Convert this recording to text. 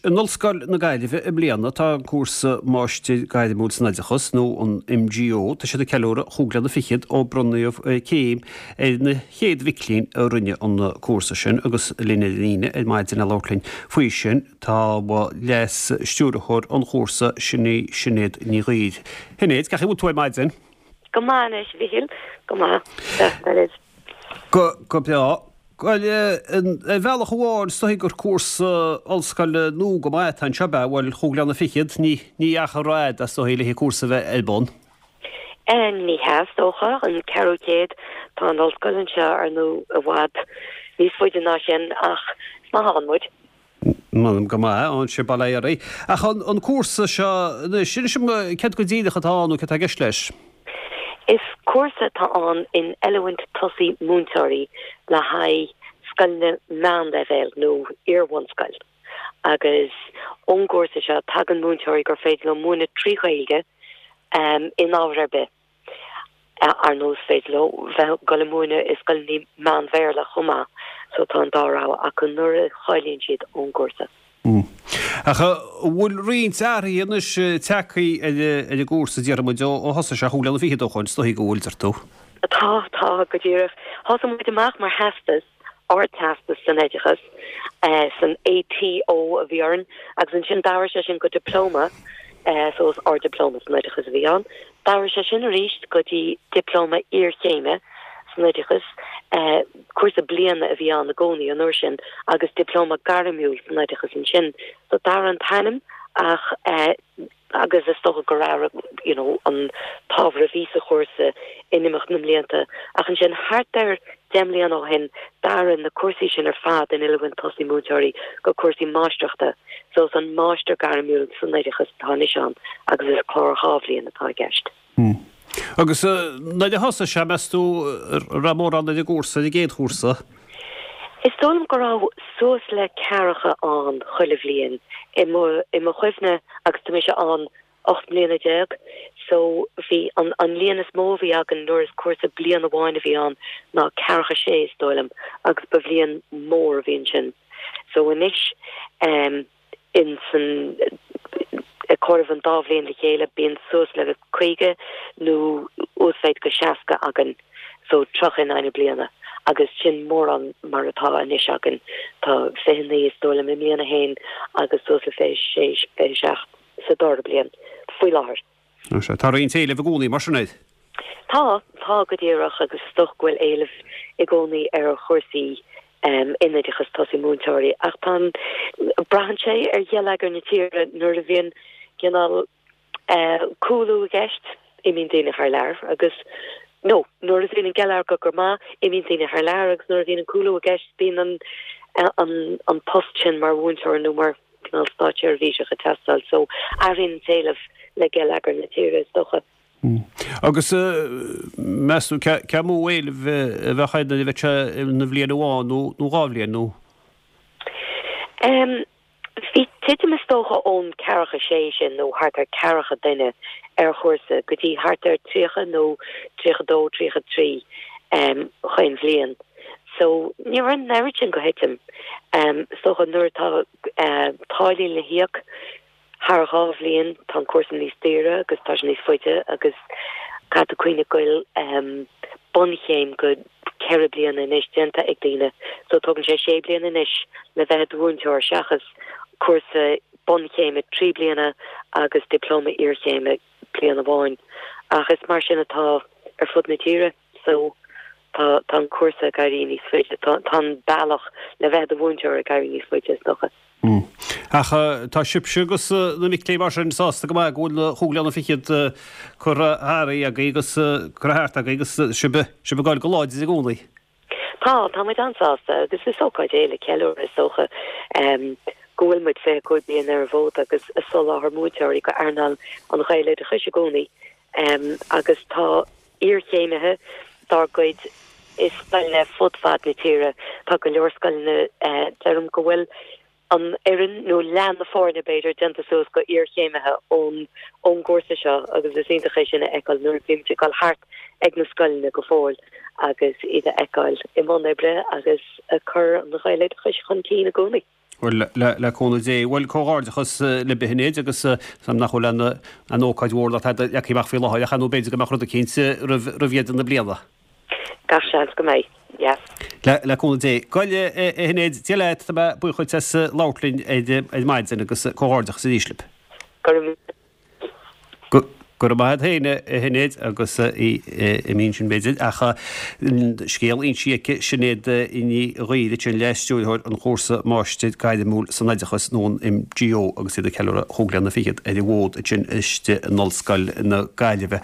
In Ollscoil na Gaillimhe i mbliana tá an cúrsa Máistir Gairmiúil san Oideachas, nó an MGO, tá siad ag ceiliúradh chúig bliana fichead ó bronnadh céim ar na chéad mhic léinn a rinne an cúrsa sin agus linn ar an líne ar maidin le labhairt linn faoi sin tá Leas-Stiúrthóir an chúrsa, sin í Sinéad Ní Ghuidhir. Shinéad, cén chaoi a bhfuil tú ar maidin? Go maith anois, a Mhichíl, go maith. Deas Go, go breá. Bhuel, ar bhealach amháin, is dóigh gur cúrsa ollscoile nua go maith atá anseo, ab ea? Bhuel, chúig bliana fichead, ní, ní achar rófhada, is dóigh, le an cúrsa a bheith ar bun. Ní hea, is dócha, an ceathrú céad, tá an ollscoil anseo, ar ndóigh, i bhfad níos faide ná sin, ach is maith ann muid. M'anam go maith ann sibh, bail ó Dhia oraibh. Ach an cúrsa seo anois, inis dom céard go díreach atá ann nó céard atá i gceist leis? Is cúrsa atá ann in oiliúint tosaigh múinteoirí le haghaidh scoileanna meánleibhéil nó iar-bhunscoil. Agus ón gcúrsa seo tagann múinteoirí gur féidir leo múineadh trí Ghaeilge in ábhar ar bith. Ar ndóigh is féidir leo bheith ag dul ag múineadh i scoileanna meán-Bhéarla chomh maith so tá an dá rogha acu nuair a cháilíonn siad ón gcúrsa. Ach an bhfuil roinnt athruithe anois tagtha ar an gcúrsa, déarfaidh muid, ó thosaigh sé chúig bliana fichead ó shoin? Is dóigh go bhfuil, deir tú. Tá, tá, go díreach. Thosaigh muid amach mar theastas. Ardteastas san Oideachas, san ATO a bhí orainn, agus ansin d'athraigh sé sin go Dioplóma, so is Ard-Dioplóma san Oideachas a bhí ann. D'athraigh sé sin arís go dtí Dioplóma Iarchéime san Oideachas, cúrsa bliana a bhí ann i gcónaí an uair sin, agus Dioplóma Gairmiúil san Oideachas ansin. So d'athraigh an t-ainm ach. agus is dócha gur athraigh you know an t-ábhar a bhí sa chúrsa in imeacht na mblianta. Ach ansin thart ar 10 mbliana ó shin d'athraigh na cúrsaí sin ar fad in oiliúint tosaigh múinteoirí go cúrsaí máistreachta. So is an Máistir Gairmiúil san Oideachas atá anois ann agus is clár dhá bhliain atá i gceist. Agus nuair a thosaigh sé, meas tú an raibh mórán ar an gcúrsa, ar an gcéad chúrsa? Is dóigh liom go raibh suas le ceathracha ann chuile bhliain i mo, i mo chuimhne agus tá mise ann 18 mbliana so bhí an, an líon is mó a bhí againn nuair is cúrsa bliain amháin a bhí ann ná ceathracha sé is dóigh liom agus ba bhliain mhór a bhí ansin. So anois eh. in san ag comhaireamh an dá bhliain le chéile bíonn suas le 50 nó uasmhéid go 60 againn, so 30 in aghaidh na bliana agus sin mórán mar atá anois againn. Tá 29 is dóigh liom i mbliain a haon agus suas le 26, 27 sa dara bliain faoi láthair. Sea, tá roinnt éilimh i gcónaí mar sin air. Tá, tá go díreach agus is dócha go bhfuil éileamh i gcónaí ar chúrsaí in oideachas tosaigh múinteoirí ach tá an, braitheann sé ar gheilleagar na tíre nuair a bhíonn cineál cúlú i gceist, imíonn daoine thar lear agus, nó nuair a bhíonn an geilleagar go maith, imíonn daoine thar lear agus nuair a bhíonn an cúlú i gceist bíonn an, an, an post sin mar mhúinteoir nó mar. cineál státseirbhíseach ag teastáil. So, athraíonn an t-éileamh le geilleagar na tíre, is dócha. Agus meas tú cé mó éileamh a bheadh air nuair a bheadh sé ina bhliain amháin nó dhá bhliain nó? Bhí titim is dócha ón ceathracha sé sin nó thart ar ceathracha duine ar chúrsa go dtí thart ar 30 nó 32, 33 chaon bhliain. So, ní raibh an oiread sin de thitim. Is dócha nuair atá táillí le híoc thar dhá bhliain, tá an cúrsa níos daoire agus tá sé níos faide agus caithfidh tú cuimhneamh go bhfuil bunchéim go ceithre bliana anois déanta ag daoine. So tógann sé sé bliana anois le bheith i do mhúinteoir seachas cúrsa bunchéime trí bliana agus dioplóma iarchéime bliain amháin. Ach is mar sin atá ar fud na tíre. So, tá, tá an cúrsa ag éirí níos faide, tá, tá an bealach le bheith i do mhúinteoir ag éirí níos faide, is dócha. Ach tá sibhse agus na mic léinn mar sin sásta go maith go bhfuil na chúig bliana fichead curtha tharaibh agaibh agus curtha thart agaibh agus sibh, sibh ag goil go láidir i gcónaí. Tá, tá muid an-sásta agus is ócáid é le ceiliúradh is dócha go bhfuil muid 25 bliain ar an bhfód agus ag soláthar múinteoirí go earnáil an Ghaeloideachais i gcónaí agus tá iarchéimithe dár gcuid i scoileanna fud fad na tíre. Tá go leor scoileanna, deirim go bhfuil an fhoireann, nó leath na foirne b'fhéidir, déanta suas go iarchéimithe ón ón gcúrsa seo agus is iontach é sin a fheiceáil nuair a bhímid ag dul thart ag na scoileanna go fóill agus iad a fheiceáil i mbun oibre agus ag cur an Ghaeloideachais chun cinn i gcónaí. Bhuel, le cúnamh Dé. Bhuel, comhghairdeachas libh a Shinéad agus nach bhfuil aon ócáid mhór ná tada leagtha amach faoi láthair ach ar ndóigh b'fhéidir go mbeadh rud eicínt roimh dheireadh na bliana. Gach seans go mbeidh, yes. Le cúnamh Dé. Bhuel, a Shinéad, Dia leat, tá mé buíoch dhuit as labhairt linn ar maidin agus comhghairdeachas arís libh. Go raibh míle. Go raibh maith agat féin, a Shinéad, agus í imithe ansin b'fhéidir, ach an scéal insithe aici, Sinéad Ní Ghaoir, ansin, Leas-Stiúrthóir an chúrsa Máistir Gairmiúil san Oideachas nó an MGO agus iad ag ceiliúradh chúig bliana fichead ar an bhfód ansin istigh in Ollscoil na Gaillimhe.